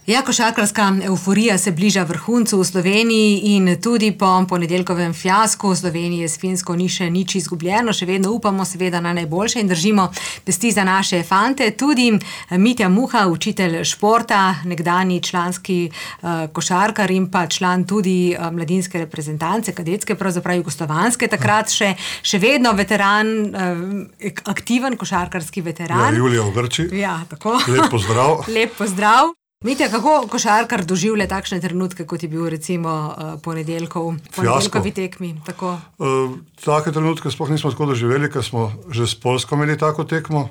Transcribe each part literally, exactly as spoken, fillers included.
Ja, košarkarska evforija se bliža vrhuncu v Sloveniji in tudi po ponedeljkovem fiasku v Sloveniji s Finsko ni še nič izgubljeno, še vedno upamo seveda na najboljše in držimo pesti za naše fante. Tudi Mitja Muha, učitelj športa, nekdanji članski uh, košarkar in pa član tudi uh, mladinske reprezentance, kadetske, pravzaprav jugoslovanske, takrat še, še vedno veteran, uh, aktiven košarkarski veteran. Ja, Julija Ogrči. Ja, tako. Lep pozdrav. Lep pozdrav. Mitja, kako košarkar doživlja takšne trenutke, kot je bil recimo uh, ponedeljkov, ponedeljkovi tekmi? Tako. Uh, take trenutke sploh nismo tako doživeli, ker smo že s Poljsko imeli tako tekmo.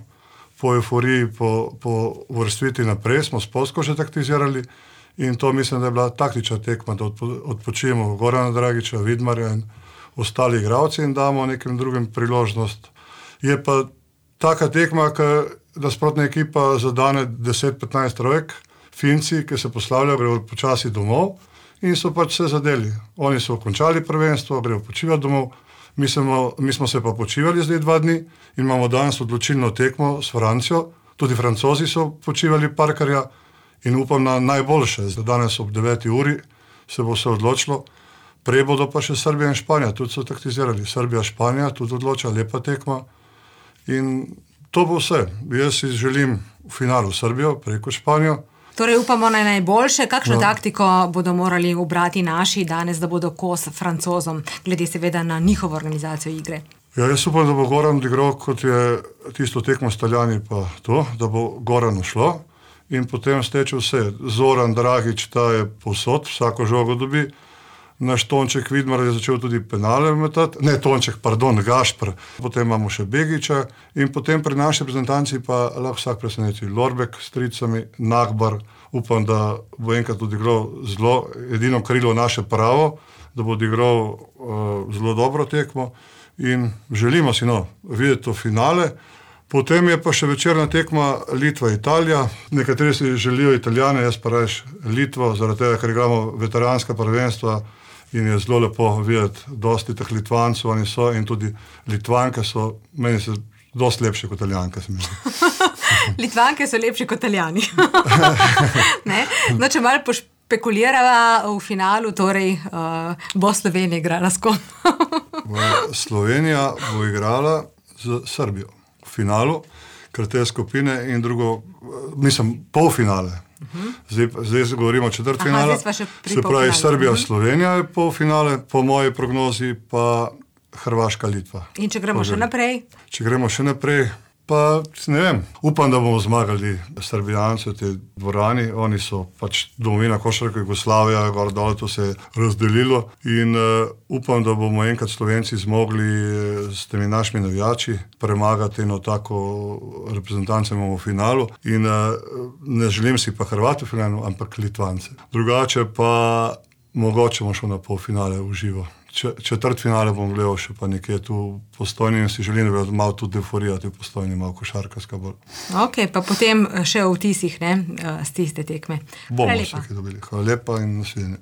Po euforiji, po, po uvrstitvi naprej smo s Poljsko že taktizirali in to mislim, da je bila taktična tekma, da odpo, odpočijemo Gorana Dragića, Vidmarja in ostali igralci in damo nekim drugim priložnost. Je pa taka tekma, da sprotna ekipa zadane deset petnajst trojk, Finci, ki se poslavljajo, grejo počasi domov in so pač vse zadeli. Oni so končali prvenstvo, grejo počivati domov, mi smo, mi smo se pa počivali zdaj dva dni in imamo danes odločilno tekmo s Francijo, tudi Francozi so počivali parkarja in upam na najboljše. Zdaj danes ob deveti uri se bo vse odločilo, prej bodo pa še Srbija in Španija, tudi so taktizirali. Srbija, Španija, tudi odloča, lepa tekma in to bo vse. Jaz si želim v finalu Srbijo, preko Španijo. Torej upamo na najboljše. Kakšno no. taktiko bodo morali ubrati naši danes, da bodo kos Francozom, glede seveda na njihovo organizacijo igre? Ja, jaz upam, da bo Goran igral, kot je tisto tekmo s Taljani, pa to, da bo Goran ušlo in potem steče vse. Zoran Dragić, ta je povsod, vsako žogo dobi. Naš Tonček Vidmar je začel tudi penale metati, ne Tonček, pardon, Gašpr, potem imamo še Begića in potem pri naši reprezentanci pa lahko vsak preseneti. Lorbek s tricami, Nagbar, upam, da bo enkrat odigral zelo, edino krilo naše pravo, da bo odigral uh, zelo dobro tekmo in želimo si no, videti to finale. Potem je pa še večerna tekma Litva-Italija. Nekateri si želijo Italijane, jaz pa rajš Litvo, zaradi tega, ker igramo veteranska prvenstva in je zelo lepo videti dosti teh Litvancov, oni so in tudi Litvanke so, meni se dosti lepše kot Italijanke, se mi zdi. Litvanke so lepše kot Italijani. Ne? No, če malo pošpekulirava v finalu, torej uh, bo Slovenija igrala s kom? Slovenija bo igrala z Srbijo v finalu, ker te skupine in drugo, mislim, polfinale. Uh-huh. Zdaj, zdaj govorimo o četrtfinale. Se pravi, Srbija, uh-huh. Slovenija je polfinale, po moji prognozi pa Hrvaška, Litva. In če gremo še naprej? Če gremo še naprej, pa ne vem, upam, da bomo zmagali Srbijanci v tej dvorani. Oni so pač domovina košarke Jugoslavija, gor dole to se je razdelilo in uh, upam, da bomo enkrat Slovenci zmogli s temi našimi navijači premagati eno tako reprezentanco imamo v finalu in uh, ne želim si pa Hrvati v finalu, ampak Litvance. Drugače pa mogoče bomo šel na polfinale v živo. Četrt finale bom gledal še pa nekje tu v Postojni in si želim, da bi malo tudi euforijati v Postojni, malo košarkarska bolj. Ok, pa potem še v vtisih, ne, z tiste tekme. Bomo se kaj dobili. Hvala lepa in nasvidenje.